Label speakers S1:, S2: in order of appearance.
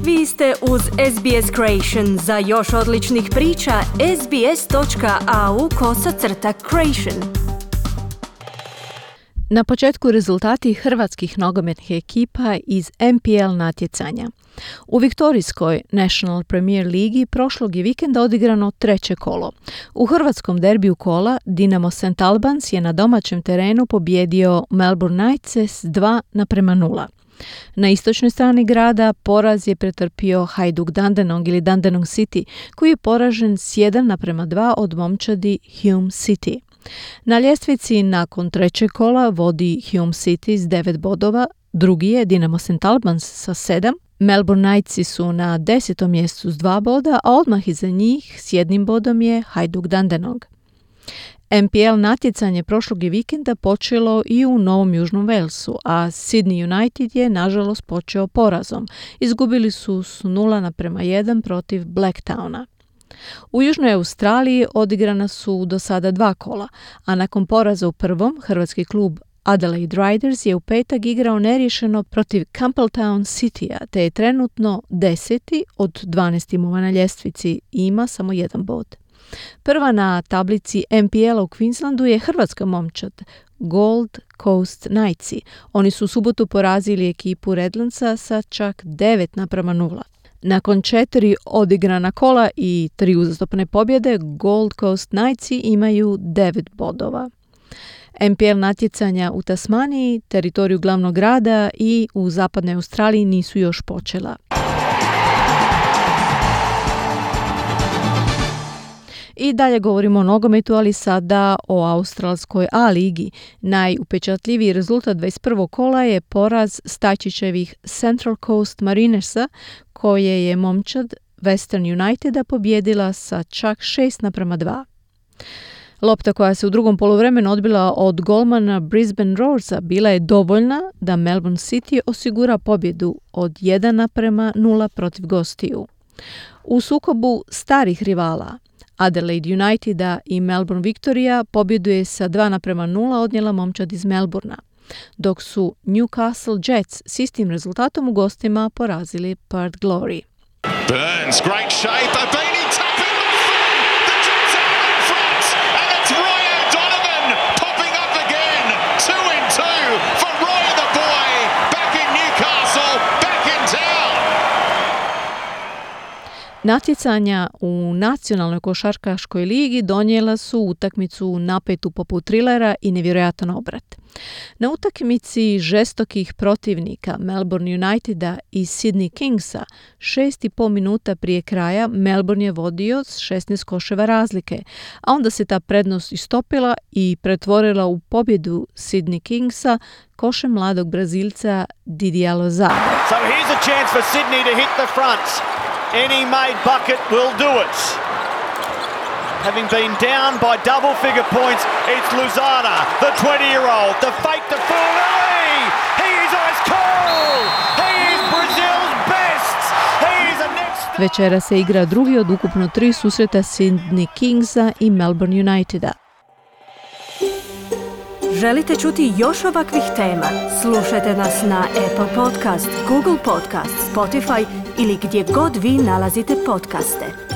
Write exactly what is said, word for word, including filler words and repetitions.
S1: Vi ste uz S B S Creation. Za još odličnih priča, sbs.au kosacrta creation.
S2: Na početku rezultati hrvatskih nogometnih ekipa iz N P L natjecanja. U viktorijskoj National Premier Ligi prošlog je vikenda odigrano treće kolo. U hrvatskom derbiju kola Dinamo Saint Albans je na domaćem terenu pobijedio Melbourne Knights s dva naprema nula. Na istočnoj strani grada poraz je pretrpio Hajduk Dandenong ili Dandenong City, koji je poražen s jedan naprema dva od momčadi Hume City. Na ljestvici nakon trećeg kola vodi Hume City s devet bodova, drugi je Dinamo Saint Albans sa sedam, Melbourne Knightsi su na desetom mjestu s dva boda, a odmah iza njih s jednim bodom je Hajduk Dandenong. N P L natjecanje prošlog je vikenda počelo i u Novom Južnom Walesu, a Sydney United je nažalost počeo porazom. Izgubili su s nula naprema jedan protiv Blacktowna. U Južnoj Australiji odigrana su do sada dva kola, a nakon poraza u prvom, hrvatski klub Adelaide Riders je u petak igrao neriješeno protiv Campbelltown Citya, te je trenutno deseti od dvanaest timova na ljestvici i ima samo jedan bod. Prva na tablici N P L-a u Queenslandu je hrvatska momčad Gold Coast Knightsi. Oni su u subotu porazili ekipu Redlandsa sa čak devet naprema nula. Nakon četiri odigrana kola i tri uzastopne pobjede, Gold Coast Knightsi imaju devet bodova. N P L natjecanja u Tasmaniji, teritoriju glavnog grada i u zapadnoj Australiji nisu još počela. I dalje govorimo o nogometu, ali sada o australskoj A ligi. Najupečatljiviji rezultat dvadeset prvog kola je poraz Stajčićevih Central Coast Marinersa, koje je momčad Western Uniteda pobijedila sa čak šest naprema dva. Lopta koja se u drugom poluvremenu odbila od golmana Brisbane Roarsa bila je dovoljna da Melbourne City osigura pobjedu od jedan naprema nula protiv gostiju. U sukobu starih rivala Adelaide Uniteda i Melbourne Victoria pobjedu je sa dva naprema nula odnijela momčad iz Melbournea, dok su Newcastle Jets s istim rezultatom u gostima porazili Perth Glory.
S3: Burns, great shape, a beanie tap in the front, the Jets are in front, and it's Roy O'Donovan popping up again, two in two for Roy the boy, back in Newcastle, back in town.
S2: Natjecanja u nacionalnoj košarkaškoj ligi donijela su utakmicu napetu poput trilera i nevjerojatan obrat. Na utakmici žestokih protivnika Melbourne Uniteda i Sydney Kingsa šest i pol minuta prije kraja Melbourne je vodio s šesnaest koševa razlike, a onda se ta prednost istopila i pretvorila u pobjedu Sydney Kingsa košem mladog Brazilca Didier Lozada.
S4: So here's a chance for Sydney to hit the front. Any made bucket will do it. Having been down by double-figure points, it's Lozada, the twenty-year-old, the fake to fool. He is ice cold. He is Brazil's best. He is a next.
S2: Večera se igra drugi od ukupno tri susreta Sydney Kingsa i Melbourne Uniteda.
S1: Želite čuti još ovakvih tema? Slušajte nas na Apple Podcast, Google Podcast, Spotify ili gdje god vi nalazite podcaste.